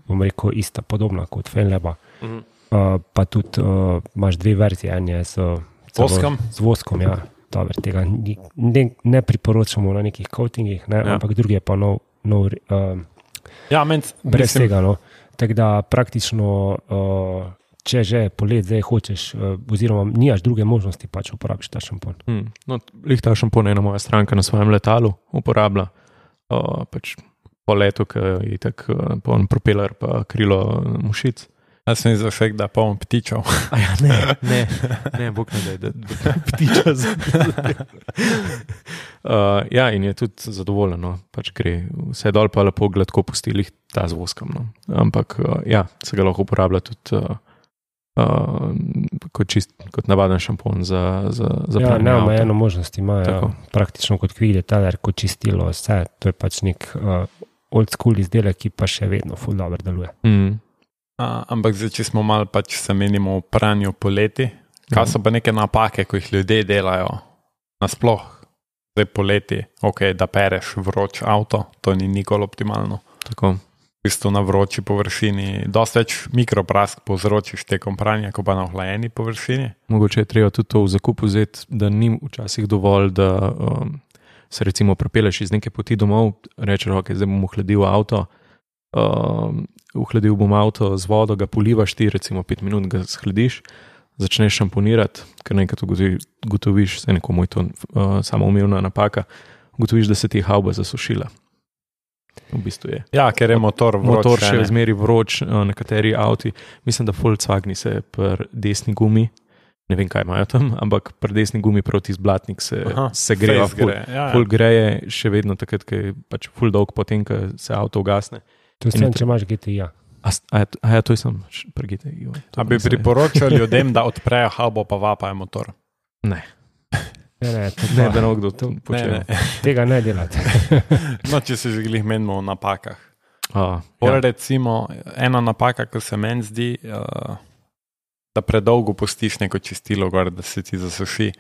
bom rekel, ista, podobna kot Fenleba. Mhm. Uh, pa tudi uh, imaš dve verzije, en je z, Z voskom? Z voskom, ja. Dober, tega ni, ne, ne priporočamo na nekih coatingih, ne, Ja. ja. ampak drugi je pa nov, nov uh, Ja, men, brez mislim, tega. No. Tako da praktično, uh, če že polet zdaj hočeš, uh, oziroma nimaš druge možnosti, pač uporabiš ta šampon. Hmm. No, lih ta šampon je ena moja stranka na svojem letalu uporablja. Uh, pač po letu, ki je tako uh, poln propeler, pa krilo mušic. Jaz sem izvršek, da poln ptičev. A ja, ne, ne, ne, bog ne daj, da, da ptiča za. uh, ja, in je tudi zadovoljen, no. Pač gre vse dol, pa lepo gladko pustili ta z voskom. No. Ampak uh, ja, se ga lahko uporablja tudi uh, uh, kot, čist, kot navaden šampon za, za, za Ja, pranje ne, avta. eno možnost imajo, Tako. praktično kot quick detailer, kot čistilo, vse. To je pač nek uh, old school izdelek, ki pa še vedno ful dobro deluje. Mm. A, ampak zdaj, če smo malo pač se menimo o pranju poleti, kaj so pa neke napake, ko jih ljudje delajo nasploh? Zdaj poleti, ok, da pereš vroč avto, to ni nikoli optimalno. Tako. V bistvu na vroči površini, dosti več mikroprask povzročiš tekom pranja, kot pa na ohlajeni površini. Mogoče je treba tudi to v zakup vzeti, da ni včasih dovolj, da um, se recimo prepeleš iz neke poti domov, rečeš, ok, zdaj bom ohladil avto, um, ohladil bom avto z vodo, ga polivaš ti, recimo pet minut ga shladiš, začneš šamponirati, ker nekaj ugotoviš, se nekomu je to uh, samoumevna napaka, ugotoviš, da se ti je havba zasušila. V bistvu je. Ja, ker je motor vroč. Motor še ne. zmeri vroč, uh, nekateri avti, mislim, da Volkswageni se pri desni gumi ne vem, kaj imajo tam, ampak pri desni gumi proti zblatnik se, se grejo, ful, gre. ja, ful ja. greje še vedno takrat, ko je pač ful dolg potem, ko se avto ugasne. To je sem, če imaš G T I. A, a, a ja, to je sem pri G T I. A bi priporočal ljudem, da odprejo habo, pa vapajo motor? Ne. Ne, ne, to Ne, pa- da ne kdo to Ne, počne. ne. Tega ne delate. No, če se že glih menimo o napakah. A, Pol ja. recimo, ena napaka, ki se meni zdi, uh, da predolgo pustiš neko čistilo gor, da se ti zasuši.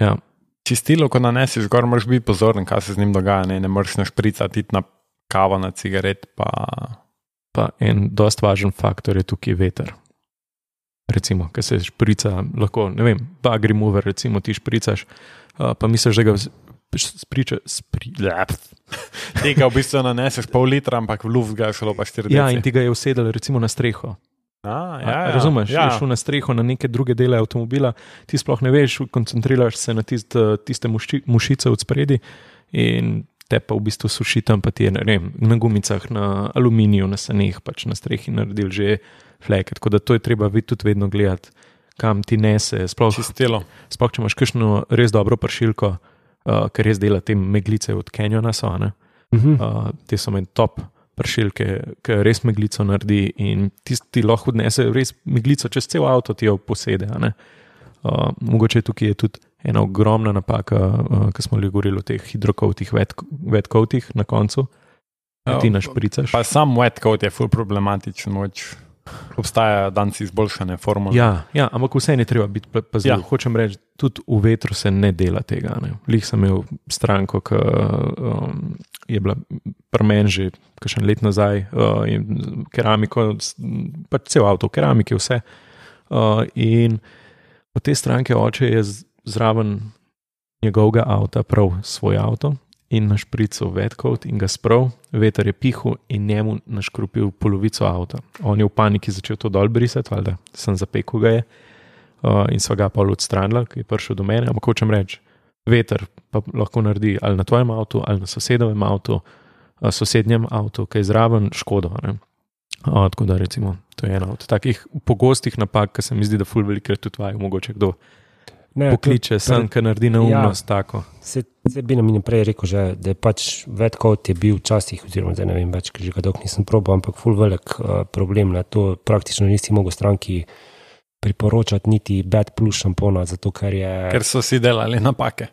Ja. Čistilo, ko nanesiš gor, moraš biti pozoren, kaj se z njim dogaja. Ne, ne moreš našpricati na kavo, na cigaret. Pa... Pa en dost važen faktor je tukaj veter. Recimo, ki se šprica, lahko, ne vem, bug remover, recimo ti špricaš, uh, pa misliš, da ga spriča, spri, Tega v bistvu naneseš pol litra, ampak v luft ga je šlo pa štiri ja, deci. in ti ga je usedel recimo na streho. A, Ja, ja, ja. razumeš, Ja. je šel na streho, na neke druge dele avtomobila, ti sploh ne veš, koncentriraš se na tist, tiste muši, mušice od spredi in te pa v bistvu suši tam, pa ti je ne vem, na gumicah, na aluminiju, na saneh, pač na strehi naredil že fleke. Tako da to je treba tudi vedno gledati, kam ti nese. Sploh, Čistilo. sploh če imaš kakšno res dobro pršilko, uh, ker res dela te meglice od Canyona, so, ne? Mhm. Uh, te so meni top pršilke, ki res meglico naredi in tisti lahko odnese res meglico čez cel avto, ti jo posede. a ne. Uh, mogoče tukaj je tudi ena ogromna napaka, uh, ki smo govorili o teh hidrokovtih, wetcoatih na koncu, Ja, ki ti našpricaš. Pa sam wet coat je ful problematičen, moč. Obstajajo danci izboljšane formule. Ja, ja, ampak vse je treba biti pazljiv. Ja. Ja. Hočem reči, tudi v vetru se ne dela tega. Ne. Lih sem imel stranko, ki um, je bila pri meni že kakšen let nazaj, uh, in keramiko, s- pač cel avto, keramike, vse. Uh, in od te stranke oče je z- zraven njegovega avta prav svoj avto in našprical wetcoat in ga sprav, veter je pihal in njemu naškrupil polovico avta. On je v paniki začel to dol brisati, valjda, sem zapekel ga je uh, in sva ga pol odstranila, ki je prišel do mene, ampak hočem reči, veter pa lahko naredi ali na tvojem avtu, ali na sosedovem avtu, uh, sosednjem avtu, ki je zraven škodo. Ne? Uh, tako da recimo, to je ena od takih pogostih napak, ki se mi zdi, da ful velikrat tudi vajo, mogoče kdo Ne, pokliče sem, ki naredi neumnost ja. tako. Se, se bi nam in prej rekel, že, da je pač wetcoat je bil včasih, oziroma zdaj ne vem več, ker že ga dolgo nisem probal, ampak ful velik uh, problem. Ne. To praktično nisi mogel stranki priporočati niti bad plus šampona, zato ker je... Ker so si delali napake.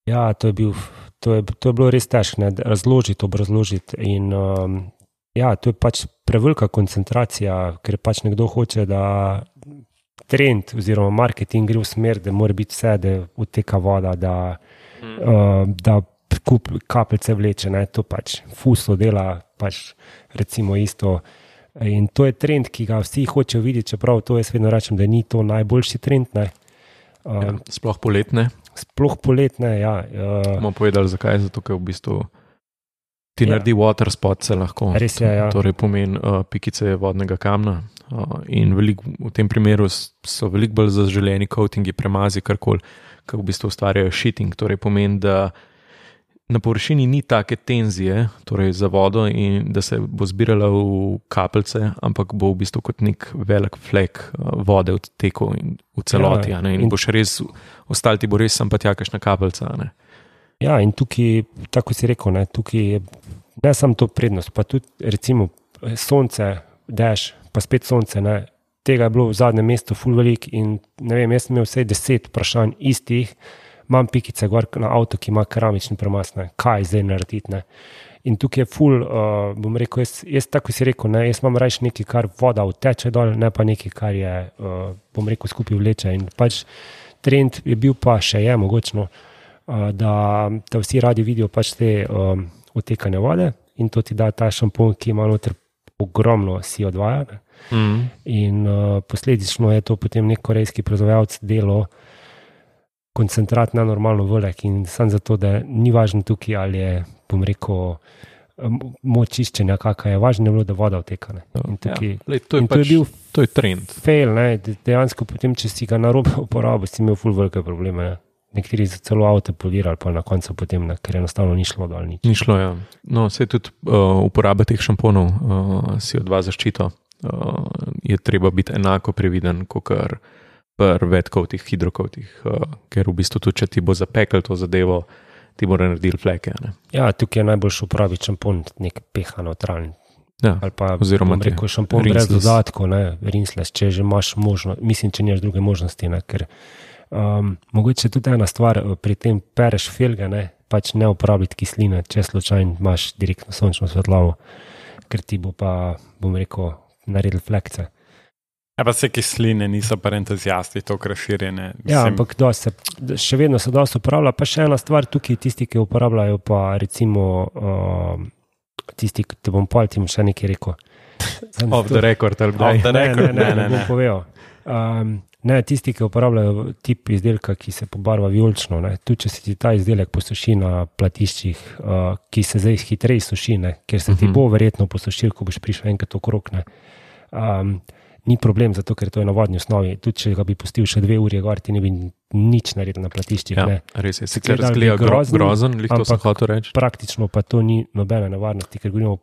Ja, to je, bil, to je, to je bilo res težko, ne, razložiti, obrazložiti in um, ja, to je pač prevelika koncentracija, ker pač nekdo hoče, da trend oziroma marketing gre v smer, da mora biti vse, da odteka voda, da, mm. uh, da kup kapljice vleče, ne, to pač fuslo dela, pač recimo isto. In to je trend, ki ga vsi hočejo videti, čeprav to jaz vedno rečem, da ni to najboljši trend. Ne. Uh, Ja, sploh poletne. Sploh poletne, ja. Uh, Bomo povedali, zakaj. Zato, ker v bistvu ti Ja. ja. naredi water spot, se lahko. Res je, ja. Torej pomeni uh, pikice vodnega kamna. Uh, in velik, v tem primeru s- so veliko bolj zaželeni coatingi, premazi, karkoli, ki v bistvu ustvarjajo shitting. Torej pomeni, da na površini ni take tenzije, torej za vodo, in da se bo zbirala v kapljice, ampak bo v bistvu kot nek velik flek uh, vode odtekel in v celoti. Ja, Ja, in, in in- boš res, ostali ti bo res sem pa tja kakšna kapljica. a Ne? Ja, in tukaj, tako si rekel, ne, tukaj je ne samo to prednost, pa tudi recimo sonce, dež, pa spet sonce. Ne, tega je bilo v zadnjem mestu ful velik in ne vem, jaz sem imel vsaj deset vprašanj istih, imam pikice gor na avto, ki ima keramični premaz, ne, kaj zdaj narediti. Ne. In tukaj je ful, uh, bom rekel, jaz, jaz tako si rekel, ne, jaz imam raje nekaj, kar voda vteče dol, ne pa nekaj, kar je, uh, bom rekel, skupaj vleče. In pač trend je bil pa še je mogočno, uh, da, da vsi radi vidijo pač te um, odtekanje vode in to ti da ta šampon, ki ima noter ogromno si odvaja. Ne. Mm. In uh, posledično je to potem nek korejski proizvajalec delo koncentrat na normalno velik in samo zato, da ni važno tukaj, ali je, bom rekel, m- moč čiščenja, kakšna je, važno je bilo, da voda odteka. Ne. In tukaj, Ja, lej, to, je in to je pač, bil to je trend. fail, ne, de- dejansko potem, če si ga narobe uporabil, si imel ful velike probleme. Ne. Nekateri so celo avto polirali, pa na koncu potem, ne, ker enostavno ni šlo dol nič. Ni šlo, ja. No, vse tudi uh, uporaba teh šamponov uh, si odva zaščito. Uh, je treba biti enako previden, kot pri vedkovtih, hidrokovtih, uh, ker v bistvu tudi, če ti bo zapekel to zadevo, ti bo naredil fleke. Ne? Ja, tukaj je najboljši uporabiti šampon, nek pH neutralen. Ja, ali pa, oziroma bom rekel, šampon brez dodatkov, ne, rinseless, če že imaš možnost, mislim, če nimaš druge možnosti, ne, ker um, mogoče tudi ena stvar, pri tem pereš felge, ne, pač ne uporabiti kisline, če slučajno imaš direktno sončno svetlobo, ker ti bo pa, bom rekel, naredil flekce. Ja, pa se kisline niso pa entuzijasti, to razširjene. Ja, ampak se, še vedno se dosti uporablja. Pa še ena stvar tukaj, tisti, ki uporabljajo pa recimo uh, tisti, ki te bom paltim še nekaj rekel. Off the record, ali kdaj? Off the record, ne, ne, ne. ne, ne, ne. Um, ne, tisti, ki uporabljajo tip izdelka, ki se pobarva vijolično, ne, tudi če se ti ta izdelek posuši na platiščih, uh, ki se zdaj hitreje suši, ne, ker se ti uh-huh. bo verjetno posušil, ko boš prišel enkrat okrog, ne. Um, Ni problem, zato ker to je na vodni osnovi. Tudi če ga bi pustil še dve uri, gor ti ne bi nič naredil na platiščih. Ja, ne. Res je, sicer razgleda grozen, grozen lih to sem hotel reči. Praktično pa to ni nobene nevarnosti, ker govorimo o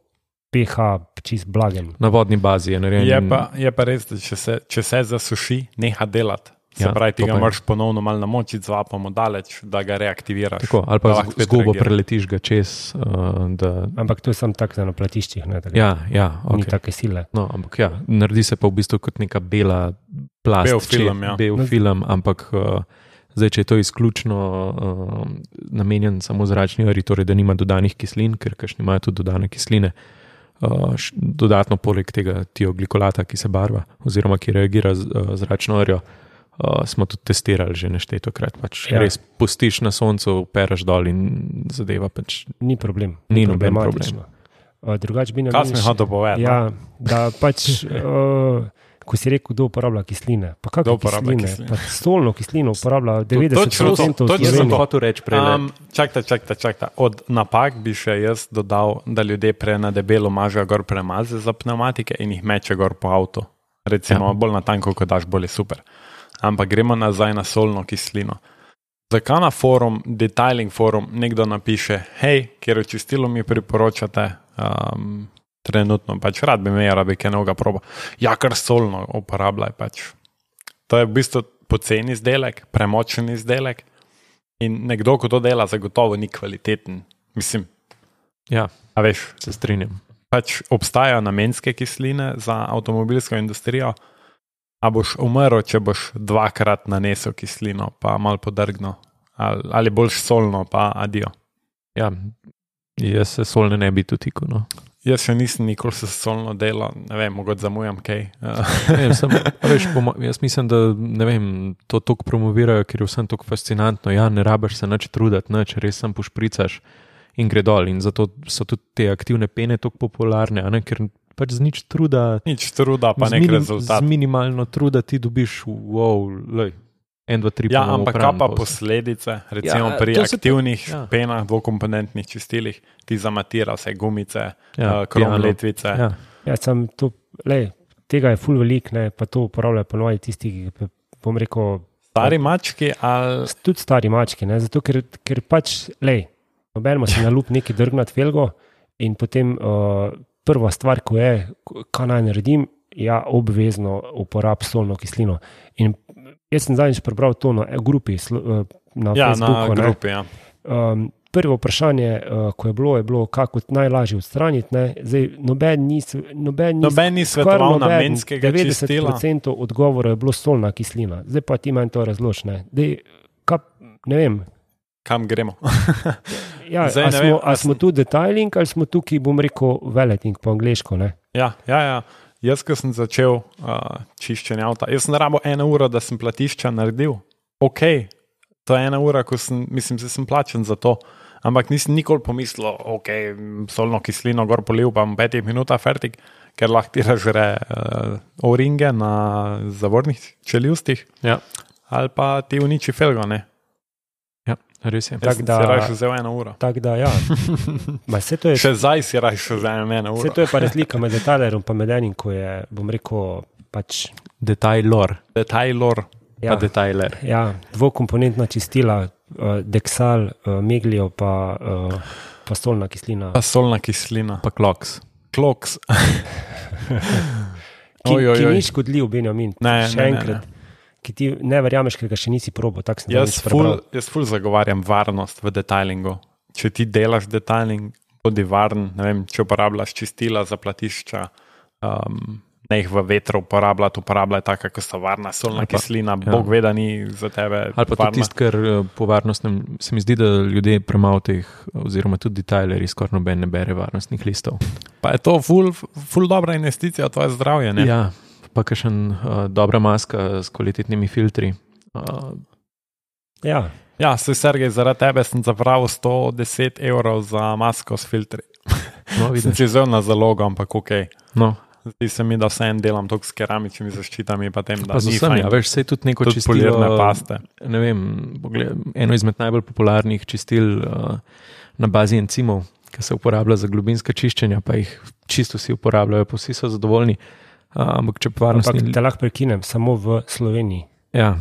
pH čist blagem. Na vodni bazi je narejen. Je pa, je pa res, da če se, če se zasuši, neha delati. Se ja, pravi, ti ga moraš ponovno malo namočiti z vapom daleč, da ga reaktiviraš. Tako, ali pa zgubo preletiš ga čez. Uh, da... Ampak to je samo tako na platiščih. Ne, ja, ja, okay. Ni take sile. No, ampak ja, naredi se pa v bistvu kot neka bela plast. Bel film, ja. Bel no, film, ampak uh, zdaj, če je to izključno uh, namenjen samo zračni ari, torej da nima dodanih kislin, ker kakšni imajo tudi dodane kisline, uh, š, dodatno poleg tega tioglikolata, ki se barva oziroma ki reagira z uh, zračno arjo, Uh, smo tudi testirali že neštetokrat. Pač ja. Res pustiš na soncu, peraš dol in zadeva pač... Ni problem. Ni noben problem. Uh, drugač bi nam... Kaj smo hotel povedati? Ja, da pač, uh, ko si rekel, kdo uporablja kisline. Pa kako kisline? kisline? Pa solno kislino uporablja devetdeset procentov to, to, to, to sem hotel reči prej. Um, čakajte, čakajte, čakajte. Od napak bi še jaz dodal, da ljudje pre na debelo mažejo gor premaze za pneumatike in jih meče gor po avtu. Recimo, ja. Bolj na tanko, ko daš, bolj je super. Ampak gremo nazaj na solno kislino. Zakaj na forum, detailing forum, nekdo napiše, hej, kjer čistilo mi priporočate, um, trenutno pač rad bi me, rabi kaj novega proba. Ja, kar solno uporabljaj pač. To je v bistvu poceni izdelek, premočen izdelek in nekdo, ko to dela, zagotovo ni kvaliteten. Mislim, ja, a veš, se strinjam. Pač obstajajo namenske kisline za avtomobilsko industrijo, a boš umrl, če boš dvakrat nanesel kislino, pa malo podrgno, ali, ali boljš solno, pa adijo. Ja, jaz se solne ne bi dotikal. No. Jaz še nisem nikoli se solno delal, ne vem, mogoče zamujam kaj. ne, sem, veš, jaz mislim, da ne vem, to toliko promovirajo, ker je vsem toliko fascinantno. Ja, ne rabiš se nič truditi, nič, res sem pošpricaš in gre dol. In zato so tudi te aktivne pene toliko popularne, a ne, ker pač z nič truda, nič truda pa nek minim, rezultat. Z minimalno truda ti dobiš, wow, lej, en, dva, tri, ja, ampak kaj pa posledice, recimo ja, pri aktivnih pa, ja. penah, dvokomponentnih čistilih, ti zamatira vse gumice, ja, uh, krom letvice. Ja, ja sem to, lej, tega je ful velik, ne, pa to uporabljajo ponovno tisti, ki bom rekel... Stari mački ali... Tudi stari mački, ne, zato ker, ker pač, lej, nobenemo se na lup neki drgnat felgo in potem... Uh, prva stvar, ko je, kaj naj naredim, ja, obvezno uporab solno kislino. In jaz sem zadnjič prebral to na grupi, na ja, Facebooku. Na grupi, ja. Um, prvo vprašanje, uh, ko je bilo, je bilo, kako najlažje odstraniti. Ne? Zdaj, noben ni, noben ni, noben ni svetoval namenskega čistila. devetdeset procentov odgovora je bilo solna kislina. Zdaj pa ti manj to razložne. Zdaj, kaj, ne vem, kam gremo. ja, Zdaj, a, smo, vem, a smo tu detailing ali smo tukaj, bom rekel, veleting po angleško, ne? Ja, ja, ja. Jaz, ko sem začel uh, čiščenje avta, jaz sem rabo eno uro, da sem platišča naredil. Ok, to je ena ura, ko sem, mislim, da sem plačen za to, ampak nisem nikoli pomislil, ok, solno kislino gor polil, pa v petih minutah fertik, ker lahko ti ražre uh, o-ringe na zavornih čeljustih, ja. Ali pa ti uniči felgo, ne? Res je. Tak da, si raje vzel eno uro. Tak da, ja. Ma, to je, še zdaj si raje vzel eno uro. Vse to je pa razlika med detailerom pa med enim, ko je, bom rekel, pač... Detailor. Detailor. Ja, pa detailer. Ja, dvokomponentna čistila, uh, Dexal, uh, Meglio, pa, uh, pa solna kislina. Pa solna kislina. Pa Kloks. Kloks. ki, ki ni škodljiv, Benjamin. Ne, še ne, enkrat. ne, ne. ki ti ne verjameš, ker ga še nisi probo. Jaz ful, jaz ful zagovarjam varnost v detailingu. Če ti delaš detailing, bodi varen, ne vem, če uporabljaš čistila za platišča, um, ne jih v vetru uporabljati, uporabljaj taka, ko so varna, solna pa, kislina, ja. Bog ve, da ni za tebe ali pa tudi tisto, kar po varnostnem, se mi zdi, da ljudje premalo teh, oziroma tudi detailerji skoraj noben ne bere varnostnih listov. Pa je to ful, ful dobra investicija, tvoje zdravje, ne? Ja, pa kakšen uh, dobra maska s kvalitetnimi filtri. Uh, ja. Ja, se Sergej, zaradi tebe sem zapravil sto deset evrov za masko s filtri. No, sem si vzel na zalogo, ampak ok. No. Zdi se mi, da vse en delam toliko s keramičnimi zaščitami, pa tem, da pa ni vsem, fajn. Ja, veš, sej tudi neko tudi čistilo. Polirne paste. Ne vem, pogled, eno izmed najbolj popularnih čistil uh, na bazi encimov, ki se uporablja za globinska čiščenja, pa jih čisto vsi uporabljajo, pa vsi so zadovoljni. Uh, ampak če varnostni... Ampak te lahko prekinem, samo v Sloveniji. Ja.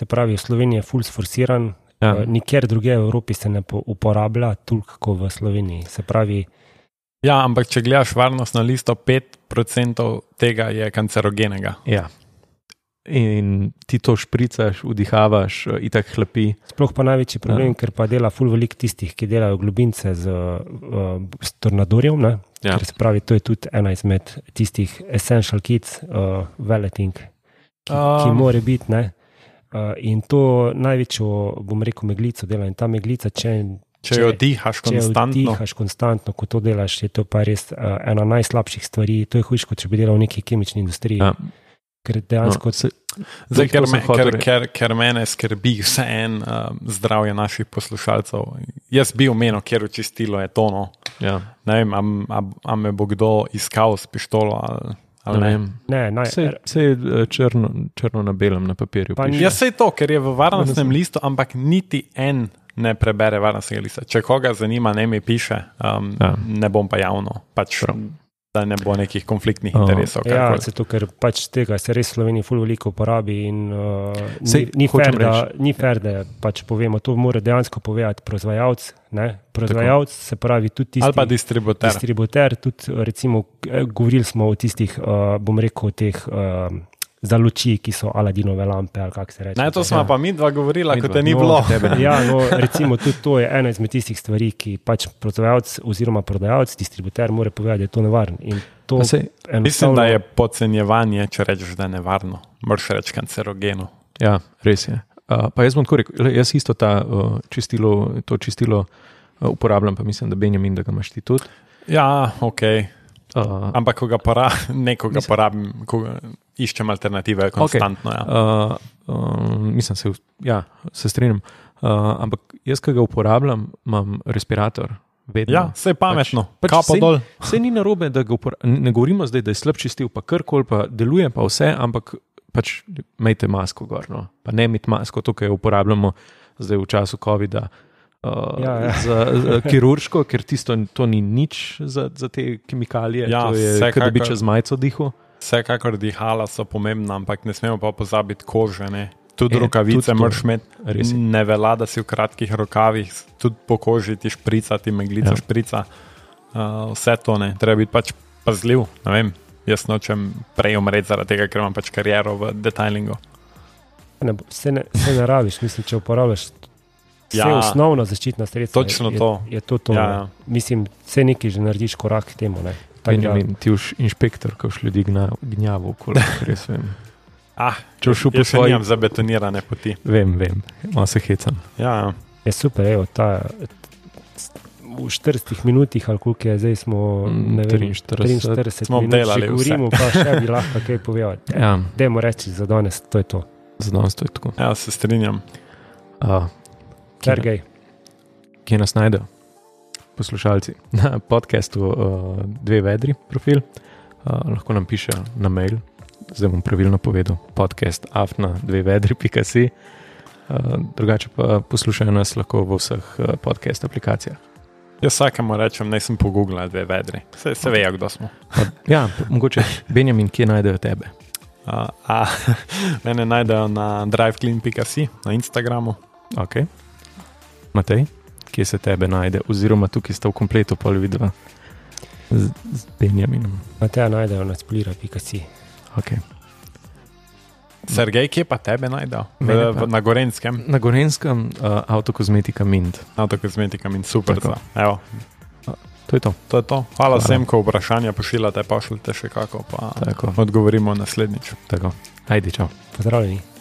Se pravi, v Sloveniji je ful sforsiran, ja. uh, nikjer druge v Evropi se ne uporablja toliko kot v Sloveniji. Se pravi, ja, ampak če gledaš varnostno listo, pet procentov tega je kancerogenega. Ja. In ti to špricaš, vdihavaš, itak hlapi. Sploh pa največji problem, ja. Ker pa dela ful veliko tistih, ki delajo globince z, uh, s tornadorjem, ne? Ja. Ker se pravi, to je tudi ena izmed tistih essential kits, uh, veleting, ki, um. ki more biti, ne? Uh, in to največjo, bom rekel, meglico dela in ta meglica, če Če jo dihaš konstantno. Če jo dihaš konstantno, ko to delaš, je to pa res uh, ena najslabših stvari. To je hujš, kot če bi delal v neki kemični industriji. Ja. Ker dejansko... No, se, zdaj, ker, me, ker, ker, ker mene skrbi vse en uh, zdravje naših poslušalcev. Jaz bi omenil, kjer očistilo je tono. Ja. Ne vem, a, a, a me bo kdo iskal s pištolo ali... ali ne. Ne, naj, vse, vse je črno, črno na belem na papirju. Jaz sej to, ker je v varnostnem listu, ampak niti en ne prebere varnostnega lista. Če koga zanima, ne mi piše, um, ja. Ne bom pa javno, pač, da ne bo nekih konfliktnih oh. interesov. Ja, zato, ker pač tega se res v Sloveniji ful veliko uporabi in uh, Sej, ni, ni, fair, da, ni fair, da pač povemo, to mora dejansko povedati proizvajalec, ne? Proizvajalec se pravi tudi tisti... Ali pa distributer. Distributer, tudi recimo, govorili smo o tistih, uh, bom rekel, teh... Uh, za luči, ki so Aladinove lampe, ali kako se reče. Ne, to smo ja. pa mi dva govorila, kot te ni no, bilo. Tebe, ja, no, recimo tudi to je ena izmed tistih stvari, ki pač proizvajalec oziroma prodajalec, distributer mora povedati, da je to nevarno. In to se, enostavno... Mislim, da je podcenjevanje, če rečeš, da je nevarno. Moraš reči kancerogeno. Ja, res je. Uh, pa jaz bom tako rekel, jaz isto ta, uh, čistilo, to čistilo uh, uporabljam, pa mislim, da Benjamin, da ga imaš ti tudi. Ja, okej. Okay. Uh, Ampak, ko ga porabim, nekoga mislim, porabim, ko iščem alternative konstantno. Okay. Ja. Uh, uh, mislim, se, ja, se strinjam. Uh, ampak jaz, ko ga uporabljam, imam respirator. Vedno. Ja, vse je pametno. Pač, pač sej, sej ni narobe, da ga uporabljam. Ne govorimo zdaj, da je slab čistil, pa karkoli, pa deluje pa vse, ampak pač imejte masko gor. No. Pa ne imeti masko, to, kar uporabljamo zdaj v času covida. Uh, ja, ja. Za, za kirurško, ker tisto to ni nič za, za te kemikalije, ja, to je, kot da bi čez majico dihal. Vsekakor dihala so pomembna, ampak ne smemo pa pozabiti kože, ne. Tudi e, rokavice moraš imeti, ne velja, da si v kratkih rokavih, tudi po koži ti šprica, ti meglica ja. šprica, uh, vse to ne, treba biti pač pazljiv, ne vem, jaz nočem prej umreti zaradi tega, ker imam pač kariero v detailingu. Ne, se, ne, se ne rabiš, mislim, če uporabljaš vse ja, osnovno zaščitna sredstva. Točno je, to. Je, je to, to ja, ja. Mislim, vse nekaj že narediš korak k temu. Ne. Benjamin, ti už inšpektor, ko už ljudi gnjavo okoli, res vem. Ah, če už jaz svoj... nimam zabetonirane poti. Vem, vem, malo se hecam. Ja, ja. Je super, evo, ta v štiridesetih minutih, ali koliko je, zdaj smo ne vem, triinštirideset smo minut, delali še govorimo, vse. Pa še bi lahko kaj povedati. Ja. Dajmo reči, za danes, to je to. Za danes to je tako. Ja, se strinjam. Uh, Sergej. Kje nas najdejo? Poslušalci. Na podcastu uh, Dve vedri profil. Uh, lahko nam pišejo na mail. Zdaj bom pravilno povedal. Podcast afna dve vedri pika si. Uh, drugače pa poslušajo nas lahko v vseh uh, podcast aplikacijah. Jaz vsakemu rečem, ne sem pogooglal Dve vedri. Se, se vejo, kdo smo. Pa, ja, mogoče. Benjamin, kje najdejo tebe? Uh, a, mene najdejo na driveclean pika si, na Instagramu. Ok. Matej, kje se tebe najde? Oziroma tukaj sta v kompletu pol vidva z, z Benjaminom. Mateja najdejo na splira pika si. Ok. Sergej, kje pa tebe najdel? Mene pa. Na Gorenskem? Na Gorenskem uh, Autokozmetika Mint. Autokozmetika Mint, super. Evo. To je to. To je to. Hvala, Hvala. Vsem, ko vprašanja pošiljate, pošljite še kako, pa Tako. odgovorimo naslednjič. Tako. Ajde, čau. Pozdravljeni.